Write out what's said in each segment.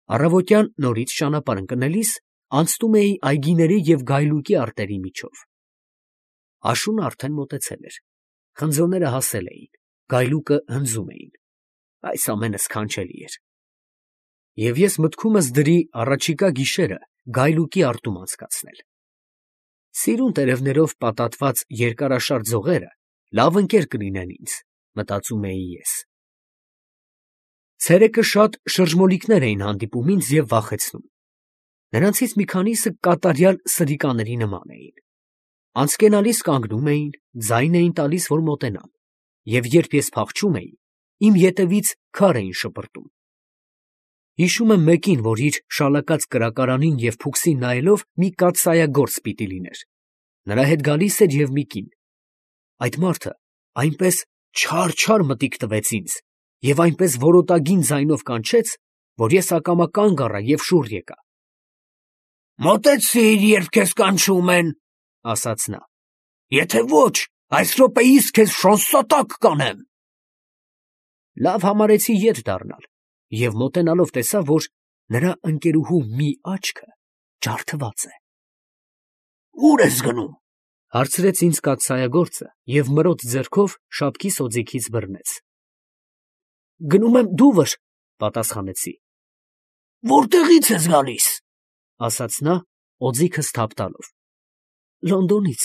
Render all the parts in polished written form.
Առավոտյան նորից ճանապարհ ընկնելիս անցնում էի այգիների և գայլուկի արտերի միջով։ Աշունը արդեն մոտեցել էր, խնձորները հասել էին, գայլուկը հնձում էին, այս ամենը սքանչելի էր։ Եվ ես մտքումս դրի առաջիկա գիշերը գայլուկի արտում անցկացնել։ Սիրուն տերևներով պատատված երկարաշարժ ձողերը լավ ընկեր կլինեն ինձ, մտածում էի ես։ Ցերեկը շատ շրջմոլիկներ էին հանդիպում ինձ և վախեցնում։ Նրանցից մի քանիսը կատարյալ սրիկաների նման էին։ Անցկենալիս կանգնում էին, ձայն էին տալիս, որ մոտենամ, և երբ ես փախչում էի, իմ ետևից քար էին շպրտում։ Հիշում եմ մեկին, որ իր շալակած կրակարանին և փուքսին նայելով մի կաթսայագործ պիտի լիներ։ Նրա հետ գալիս էր և մի կին։ Այդ մարդը այնպես չար մտիկ տվեց ինձ և այնպես որոտագին ձայնով կանչեց, որ ես ակամա կանգ առա և շուռ եկա։ «Մոտեցիր, երբ քեզ կանչում են», ֊ ասաց նա։ «Եթե ոչ, այս րոպեիս քեզ շանսատակ կանեմ»։ Լավ համարեցի ետ դառնալ և մոտենալով տեսա, որ նրա ընկերուհու մի աչքը ջարդված է։ «Ո՞ւր ես գնում», ֊ հարցրեց ինձ կաթսայագործը և մրոտ ձեռքով շապքի սոձիքից բռնեց։ «Գնում եմ դուվր», ֊ պատասխանեցի։ «Որտեղի՞ց ես գալիս», ֊ ասաց նա, օձիքս թափ տալով։ «Լոնդոնից»։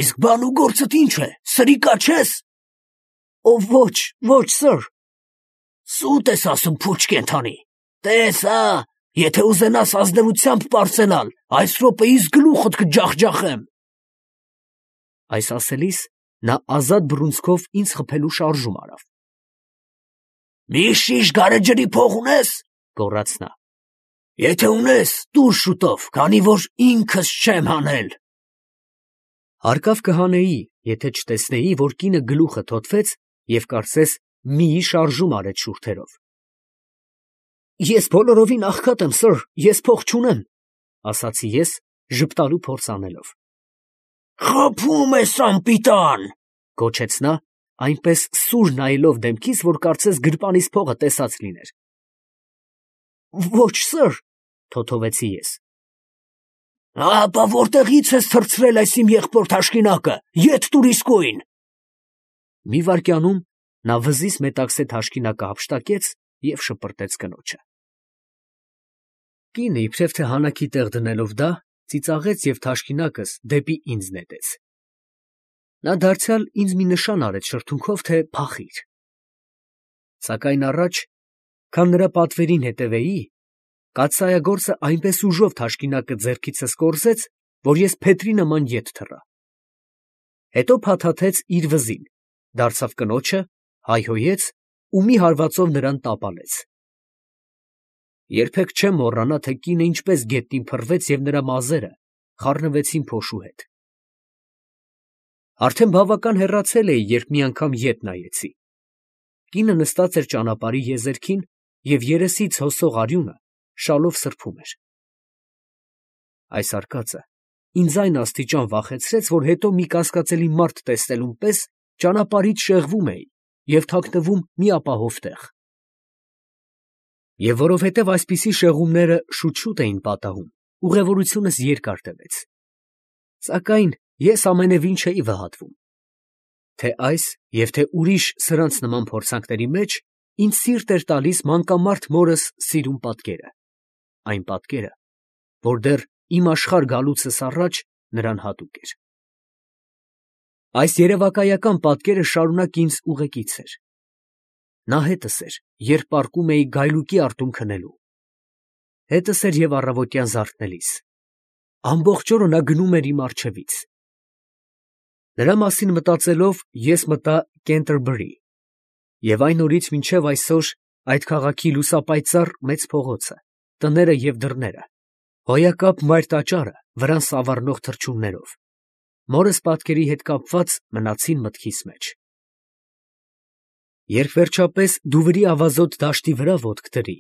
«Իսկ բան ու գործդ ի՞նչ է, սրիկա չես»։ Ոչ, սըր։ «Սուտ ես ասում, փուչ կենդանի, տես, եթե ուզենաս ազնվությամբ պարծենալ, այս րոպեիս գլուխդ կջախջախեմ»։ Այս ասելիս նա ազատ բռունցքով ինձ խփելու շարժում արավ։ «Մի շիշ գարեջրի փող ունես», ֊ գոռաց նա։ «Եթե ունես, տուր շուտով, քանի որ ինքս չեմ հանել»։ Հարկավ կհանեի, եթե չտեսնեի, որ կինը գլուխը թոթվեց և կարծես միի շարժում արեց շուրթերով։ «Ես բոլորովին աղքատ եմ, սըր, ես փող չունեմ», ֊ ասացի ես, ժպտալու փորձ անելով։ «Խաբում ես, անպիտան», ֊ գոչեց նա, այնպես սուր նայելով դեմքիս, որ կարծես գրպանիս փողը տեսած լիներ։ «Ոչ, սըր», ֊ թոթովեցի ես։ «Ապա որտեղի՞ց ես թռցրել այս իմ եղբոր թաշկինակը, ետ տուր իսկույն»։ Մի վայրկյանում նա վզից մետաքսե թաշկինակը հափշտակեց և շպրտեց կնոջը։ Կինը, իբրև թե հանակի տեղ դնելով դա, ծիծաղեց և թաշկինակս դեպի ինձ նետեց։ Նա դարձյալ ինձ մի նշան արեց շրթունքով, թե փախիր։ Սակայն առաջ, քան նրա պատվերին հետևեի, կաթսայագործը այնպես ուժով թաշկինակը ձեռքիցս կորզեց, որ ես փետրի նման ետ թռա։ Հետո փաթաթեց իր վզին, դարձավ կնոջը, հայհոյեց ու մի հարվածով նրան տապալեց։ Երբեք չեմ մոռանա, թե կինը ինչպես գետնին փռվեց և նրա մազերը խառնվեցին փոշու հետ։ Արդեն բավական հեռացել էի, երբ մի անգամ ետ նայեցի։ Կինը նստած էր ճանապարհի եզերքին և երեսից հոսող արյունը շալով սրբում էր։ Այս արկածը ինձ այն աստիճան վախեցրեց, որ հետո մի կասկածելի մարդ տեսնելուն պես ճանապարհից շեղվում էի և թաքնվում մի ապահով տեղ։ Եվ որովհետև այսպիսի շեղումները շուտ էին պատահում, ուղևորությունս երկար տևեց։ Սակայն ես ամենևին չէի վհատվում։ Թե այս և թե ուրիշ սրանց նման փորձանքների մեջ ինձ սիրտ էր տալիս մանկամարդ մորս սիրուն պատկերը, այն պատկերը, որ դեռ իմ աշխարհ գալուցս առաջ նրան հատուկ էր։ Այս երևակայական պատկերը շարունակ ինձ ուղեկից էր։ Նա հետս էր, երբ պառկում էի գայլուկի արտում քնելու։ Հետս էր և առավոտյան զարթնելիս։ Ամբողջ օրը նա գնում էր իմ առջևից։ Նրա մասին մտածելով ես մտա Կենտերբրի և այն օրից մինչև այսօր այդ քաղաքի լուսապայծառ մեծ փողոցը, տները և դռները, հոյակապ մայր տաճարը վրան սավառնող թռչուններով, մորս պատկերի հետ կապված մնացին մտքիս մեջ։ Երբ վերջապես Դուվրի ավազոտ դաշտի վրա ոտք դրի,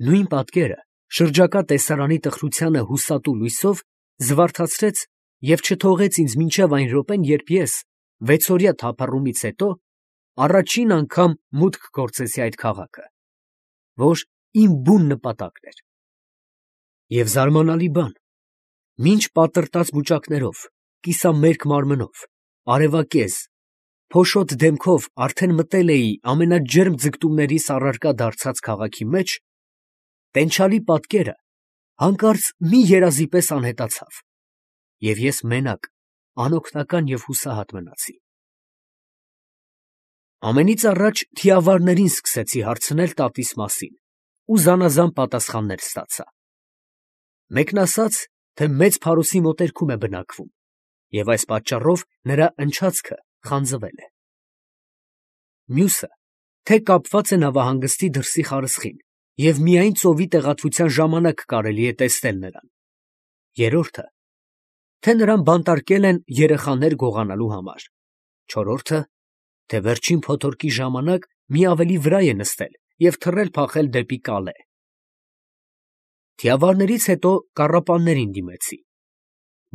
նույն պատկերը շրջակա տեսարանի տխրությանը հուսատու լույսով զվարթացրեց և չթողեց ինձ մինչև այն րոպեն, երբ ես, վեցօրյա թափառումից հետո, առաջին անգամ մուտք գործեցի այդ քաղաքը, որ իմ բուն նպատակն էր։ Եվ զարմանալի բան, մինչ պատրտած բուճակներով, կիսամերկ մարմնով, արևակեզ, փոշոտ դեմքով արդեն մտել էի ամենաջերմ ձգտումներիս առարկա դարձած քաղաքի մեջ, տենչալի պատկերը հանկարծ մի երազի պես անհետացավ, և ես մենակ, անօգնական և հուսահատ մնացի։ Ամենից առաջ թիավարներին սկսեցի հարցնել տատիս մասին ու զանազան պատասխաններ ստացա։ Մեկն ասաց, թե մեծ փարոսի մոտերքում է բնակվում, և այս պատճառով նրա ընչացքը խանձվել է։ Մյուսը, թե կապված է նավահանգստի դրսի խարսխին, և միայն ծովի տեղատվության ժամանակ կարելի է տեսնել նրան։ Երրորդը, թե նրան բանտարկել են երեխաներ գողանալու համար։ Չորրորդը, թե վերջին փոթորկի ժամանակ մի ավելի վրա է նստել և թռել-փախել դեպի Կալե։ Թիավարներից հետո կառապաններին դիմեցի,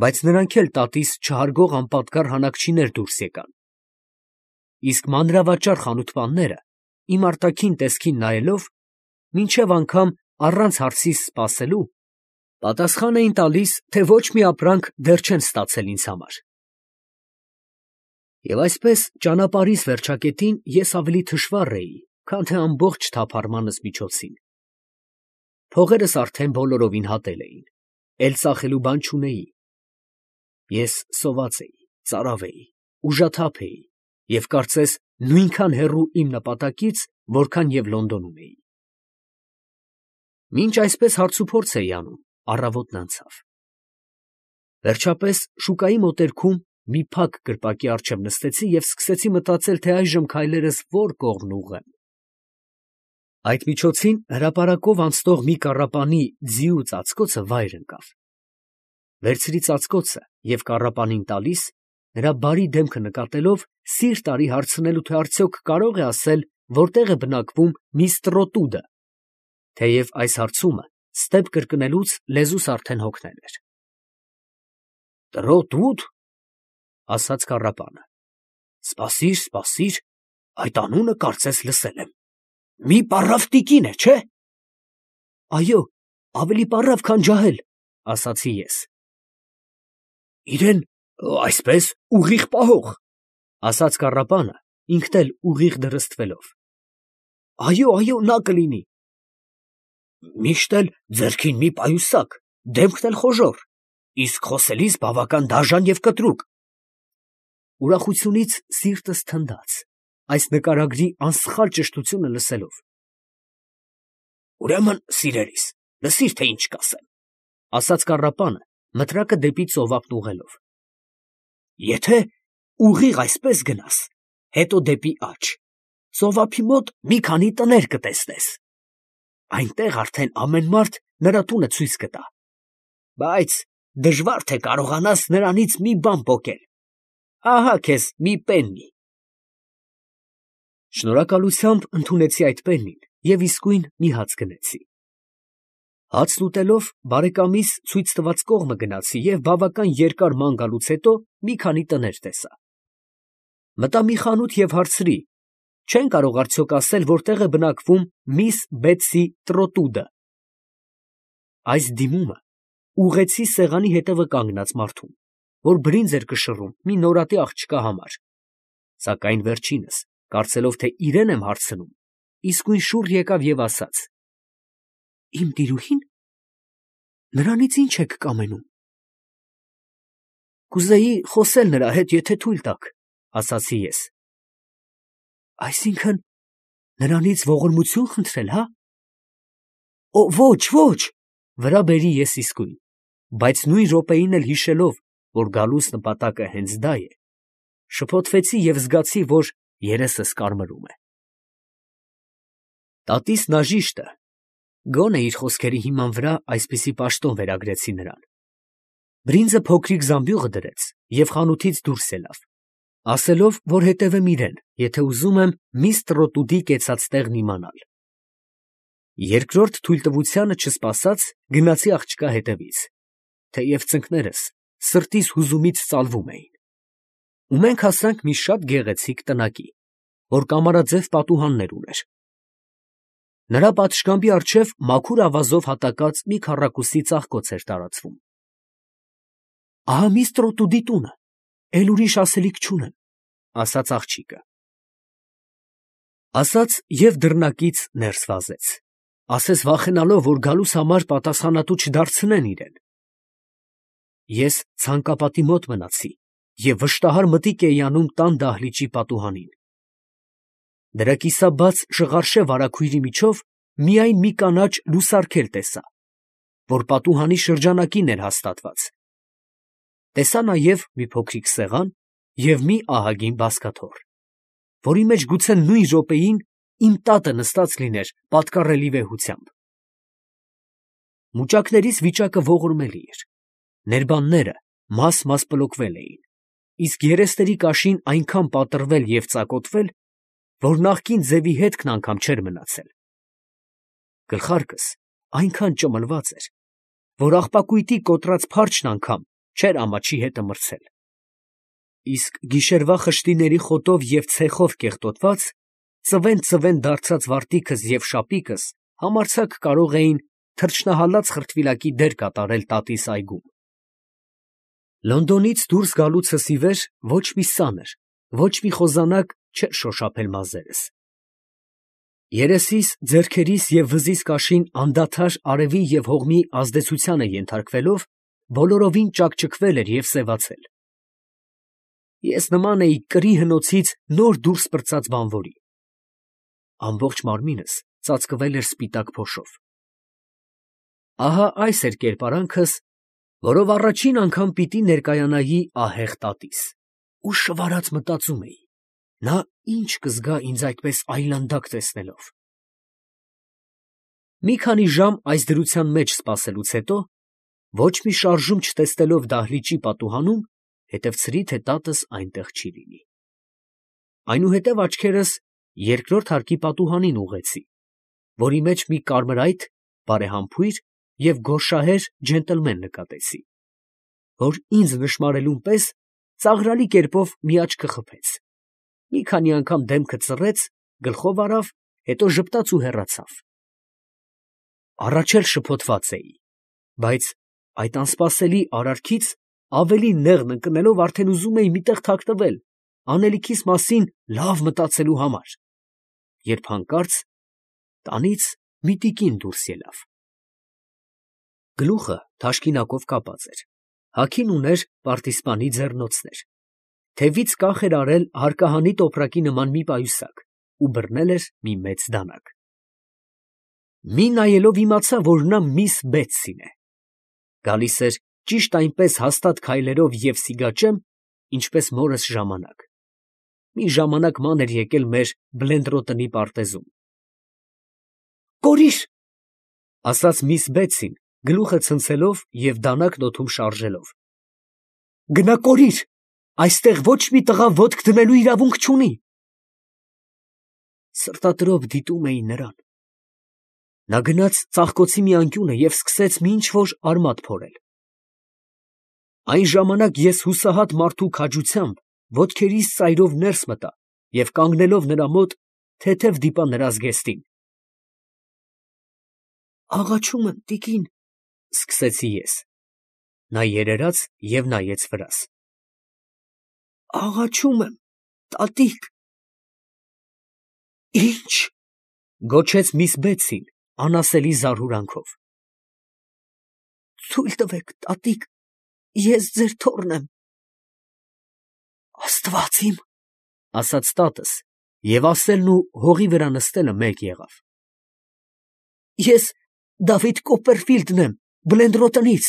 բայց նրանք էլ տատիս չհարգող անպատկառ հանաքչիներ դուրս եկան։ Իսկ մանրավաճառ խանութպանները, իմ արտաքին տեսքին նայելով, մինչև անգամ առանց հարցիս սպասելու, պատասխան էին տալիս, թե ոչ մի ապրանք դեռ չեն ստացել ինձ համար։ Եվ այսպես ճանապարհիս վերջակետին ես ավելի թշվառ էի, քան թե ամբողջ թափառմանս միջոցին։ Փողերս արդեն բոլորովին հատել էին, էլ ծախելու բան չունեի։ Ես սոված էի, ծարավ էի, ուժաթափ էի և կարծես նույնքան հեռու իմ նպատակից, որքան և Լոնդոնում էի։ Մինչ այսպես հարցուփորձ էի անում, առավոտն անցավ։ Վերջապես շուկայի մոտերքում մի փակ կրպակի առջև նստեցի և սկսեցի մտածել, թե այժմ քայլերս ո՞ր կողմն ուղղեմ։ Այդ միջոցին հրապարակով անցնող մի կառապանի ձիու ծածկոցը վայր ընկավ։ Վերցրի ծածկոցը և կառապանին տալիս, նրա բարի դեմքը նկատելով, սիրտ արի հարցնելու, թե արդյոք կարող է ասել, որտեղ է բնակվում միս Տրոտուդը, թեև այս հարցումը ստեպ կրկնելուց լեզուս արդեն հոգնել էր։ «Տրոտուդ» ասաց կառապանը, «Սպասիր, սպասիր, այդ անունը կարծես լսել եմ, մի պառավ տիկին է, չէ՞»։ «Այո, ավելի պառավ, քան ջահել», ասացի ես։ «Իրեն այսպես ուղիղ պահող», ասաց կառապանը, ինքն էլ ուղիղ դրստվելով։ «Այո, այո, նա կլինի»։ «Միշտ էլ ձեռքին մի պայուսակ, դեմքն էլ խոժոռ, իսկ խոսելիս բավական դաժան և կտրուկ»։ Ուրախությունից սիրտս թնդաց, այս նկարագրի անսխալ ճշտությունը լսելով։ «Ուրեմն, սիրելիս, լսիր, թե ինչ կասեմ», ասաց կառապանը, մտրակը դեպի ծովափն ուղղելով։ «Եթե ուղիղ այսպես գնաս, հետո դեպի աջ, ծովափի մոտ մի քանի տներ կտեսնես։ Այնտեղ արդեն ամեն մարդ նրա տունը ցույց կտա, բայց դժվար թե կարողանաս նրանից մի բան պոկել։ Ահա քեզ մի պեննի»։ Շնորհակալությամբ ընդունեցի այդ պեննին և իսկույն մի հաց գնեցի։ Հացն ուտելով, բարեկամիս ցույց տված կողմը գնացի և բավական երկար ման գալուց հետո մի քանի տներ տեսա։ Մտա մի խանութ և հարցրի. չեն կարող արդյոք ասել, որտեղ է բնակվում միս Բեթսի Տրոտուդը։ Այս դիմումը ուղղեցի սեղանի հետևը կանգնած մարդուն, որ բրինձ էր կշռում մի նորատի աղջկա համար, սակայն վերջինս, կարծելով, թե իրեն եմ հարցնում, իսկույն շուռ եկավ և ասաց. «Իմ տիրուհի՞ն, նրանից ի՞նչ եք կամենում»։ «Կուզեի խոսել նրա հետ, եթե թույլ տաք», ասացի ես։ «Այսինքն, նրանից ողորմություն խնդրել, հա»։ «Ոչ, ոչ», վրա բերի ես իսկույն, բայց նույն րոպեին էլ հիշելով, որ գալուս նպատակը հենց դա է, շփոթվեցի և զգացի, որ երեսս կարմրում է։ Տատիս նաժիշտը, գոնե իր խոսքերի հիման վրա այսպիսի պաշտոն վերագրեցի նրան, բրինձը փոքրիկ զամբյուղը դրեց և խանութից դուրս ելավ, ասելով, որ հետևեմ իրեն, եթե ուզում եմ միս Տրոտուդի կեցած տեղն իմանալ։ Երկրորդ թույլտվությանը չսպասած գնացի աղջկա հետևից, թեև ծնկներս սրտիս հուզումից ծալվում էին, ու մենք հասանք մի շատ գեղեցիկ տնակի, որ կամարաձև պատուհաններ ուներ։ Նրա պատշգամբի առջև մաքուր ավազով հատակած մի քառակուսի ծաղկոց էր տարածվում։ «Ահա միստր Օտուդի տունը, էլ ուրիշ ասելիք չունեմ», ասաց աղջիկը։ Ասաց և դռնակից ներս վազեց, ասես վախենալով, որ գալուս համար պատասխանատու չդարձնեն իրեն։ Ես ցանկապատի մոտ մնացի և վշտահար մտիկ էի անում տան դահլիճի պատուհանին։ Դրա կիսաբաց շղարշե վարագույրի միջով միայն մի կանաչ լուսարգել տեսա, որ պատուհանի շրջանակին էր հաստատված։ Տեսա նաև մի փոքրիկ սեղան և մի ահագին բազկաթոռ, որի մեջ գուցե նույն րոպեին իմ տատը նստած լիներ պատկառելի վեհությամբ։ Մուճակներիս վիճակը ողորմելի էր, ներբանները մաս-մաս պլոկվել էին, իսկ երեսների կաշին այնքան պատռվել և ծակոտվել, որ նախկին ձևի հետքն անգամ չէր մնացել։ Գլխարկս այնքան ճմլված էր, որ աղբակույտի կոտրած փարչն անգամ չէր ամաչի հետը մրցել, իսկ գիշերվա խշտիների խոտով և ցեխով կեղտոտված, ծվեն դարձած վարտիքս և շապիկս համարձակ կարող էին թռչնահալած խրտվիլակի դեր կատարել տատիս այգում։ Լոնդոնից դուրս գալուցս ի վեր ոչ մի սանր, ոչ մի խոզանակ չէր շոշափել մազերս։ Երեսիս, ձեռքերիս և վզիս կաշին անդադար արևի և հողմի ազդեցությանը ենթարկվելով, բոլորովին ճաքճքվել էր և սևացել։ Ես նման էի կրի հնոցից նոր դուրս պրծած բանվորի։ Ամբողջ մարմինս ծածկվել էր սպիտակ փոշով։ Ահա այս էր կերպարանքս, որով առաջին անգամ պիտի ներկայանայի ահեղ տատիս, ու շվարած մտածում էի, նա ինչ կզգա ինձ այդպես այլանդակ տեսնելով։ Մի քանի ժամ այս դրության մեջ սպասելուց հետո, ոչ մի շարժում չտեսնելով դահլիճի պատուհանում, հետևցրի, թե տատս այնտեղ չի լինի։ Այնուհետև աչքերս երկրորդ հարկի պատուհանին ուղղեցի, որի մեջ մի կարմրայթ, բարեհամբույր և գորշահեր ջենտլմեն նկատեցի, որ ինձ նշմարելուն պես ծաղրալի կերպով մի աչքը խփեց, մի քանի անգամ դեմքը ծռեց, գլխով արավ, հետո ժպտաց ու հեռացավ։ Առաջ էլ շփոթված էի, բայց այդ անսպասելի արարքից ավելի նեղն ընկնելով արդեն ուզում էի մի տեղ թաքնվել, անելիքիս մասին լավ մտածելու համար, երբ հանկարծ տանից մի տիկին դուրս ելավ։ Գլուխը թաշկինակով կապած էր, հագին ուներ պարտիզպանի ձեռնոցներ, թևից կախ էր արել հարկահանի տոպրակի նման մի պայուսակ ու բռնել էր մի մեծ դանակ։ Մի նայելով իմացա, որ նա միս Բեթսին է։ Գալիս էր ճիշտ այնպես հաստատ քայլերով և սիգաճեմ, ինչպես մորս ժամանակ։ Մի ժամանակ ման էր եկել մեր Բլենդրոտնի պարտեզում։ «Կորիր», ֊ ասաց միս Բեթսին, գլուխը ցնցելով և դանակն օդում շարժելով։ «Գնա կորիր, այստեղ ոչ մի տղա ոտք դնելու իրավունք չունի»։ Սրտատրոփ դիտում էի նրան։ Նա գնաց ծաղկոցի մի անկյունը և սկսեց մի ինչ֊որ արմատ փորել։ Այն ժամանակ ես հուսահատ մարդու քաջությամբ ոտքերիս ծայրով ներս մտա և կանգնելով նրա մոտ, թեթև դիպա նրա զգեստին։ «Աղաչում եմ, տիկին», ֊ սկսեցի ես։ Նա երերաց և նայեց վրաս։ «Աղաչում եմ, տատիկ»։ «Ի՞նչ», ֊ գոչեց միս Բեթսին անասելի զարհուրանքով։ «Թույլ տվեք, տատիկ, ես ձեր թոռն եմ»։ «Աստված իմ», ֊ ասաց տատս, և ասելն ու հողի վրա նստելը մեկ եղավ։ «Ես Դավիթ Կոպպերֆիլդն եմ, Բլենդրոտնից,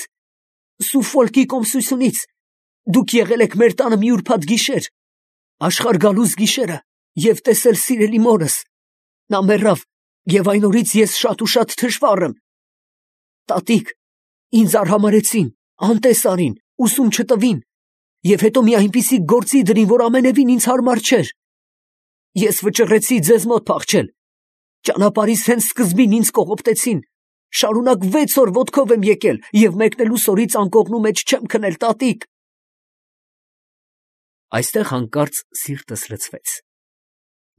Սուֆոլկի կոմսությունից, դուք եղել եք մեր տանը մի ուրբաթ գիշեր, աշխարհ գալուս գիշերը, և տեսել սիրելի մորս. նա մեռավ, և այն օրից ես շատ ու շատ թշվառ եմ։ Տատիկ, ինձ արհամարհեցին, անտես արին, ուսում չտվին, և հետո մի այնպիսի գործի դրին, որ ամենևին ինձ հարմար չէր։ Ես վճռեցի ձեզ մոտ փախչել, ճանապարհիս հենց սկզբին ինձ կողոպտեցին, շարունակ 6 օր ոտքով եմ եկել և մեկնելուս օրից անկողնու մեջ չեմ քնել, տատիկ»։ Այստեղ հանկարծ սիրտս լցվեց։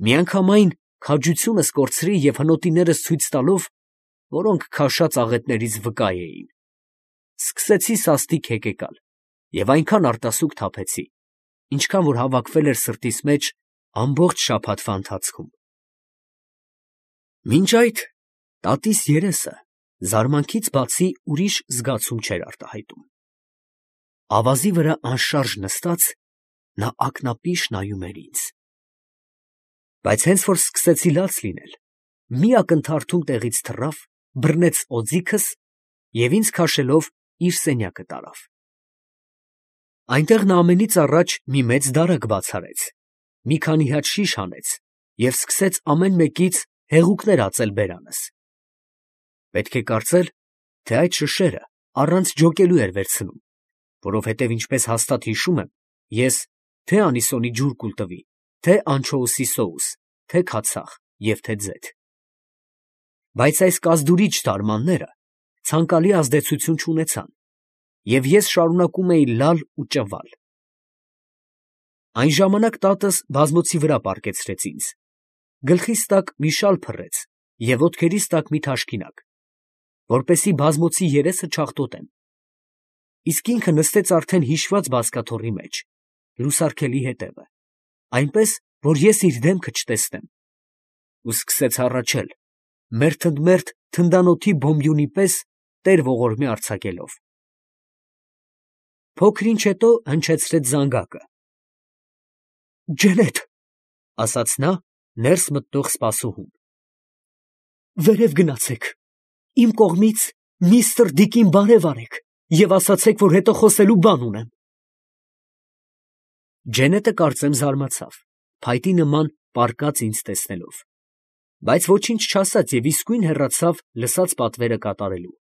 Միանգամայն քաջությունս կորցրի և հնոտիներս ցույց տալով, որոնք քաշած աղետներից վկա էին, սկսեցի սաստիկ հեկեկալ և այնքան արտասուք թափեցի, ինչքան որ հավաքվել էր սրտիս մեջ ամբողջ շաբաթվա ընթացքում։ Մինչ այդ տատիս երեսը զարմանքից բացի ուրիշ զգացում չէր արտահայտում։ Ավազի վրա անշարժ նստած, նա ակնապիշ նայում էր ինձ։ Բայց հենց որ սկսեցի լաց լինել, մի ակնթարթում տեղից թռավ, բռնեց օձիքս և ինձ քաշելով իր սենյակը տարավ։ Այնտեղ նա ամենից առաջ մի մեծ դարակ բաց արեց, մի քանի հատ շիշ հանեց և սկսեց ամեն մեկից հեղուկներ ածել բերանս։ Պետք է կարծել, թե այդ շշերը առանց ջոկելու էր վերցնում, որովհետև ինչպես հաստատ հիշում եմ, ես թե անիսոնի ջուր կուլ տվի, թե անչոուսի սոուս, թե քացախ և թե ձեթ։ Բայց այս կազդուրիչ թարմանները ցանկալի ազդեցություն չունեցան, և ես շարունակում էի լալ ու ճվալ։ Այն ժամանակ տատս բազմոցի վրա պառկեցրեց ինձ, գլխիս տակ մի շալ փռեց և ոտքերիս տակ մի թաշկինակ, որպեսզի բազմոցի երեսը չաղտոտեմ, իսկ ինքը նստեց արդեն հիշված բազկաթոռի մեջ, լուսարգելի հետևը, այնպես, որ ես իր դեմքը չտեսնեմ, ու սկսեց հառաչել, մերթ ընդ մերթ թնդանոթի բոմբյունի պես տեր ողորմի արձակելով։ Փոքր ինչ հետո հնչեցրեց զանգակը։ ֊ Ջենետ, ֊ ասաց նա ներս մտնող սպասուհուն։ ֊ Վերև գնացեք, իմ կողմից միստր Դիկին բարև արեք և ասացեք, որ հետո խոսելու բան ունեմ։ Ջենետը կարծեմ զարմացավ, փայտի նման պառկած ինձ տեսնելով, բայց ոչինչ չասաց և իսկույն հեռացավ լսած պատվերը կատարելու։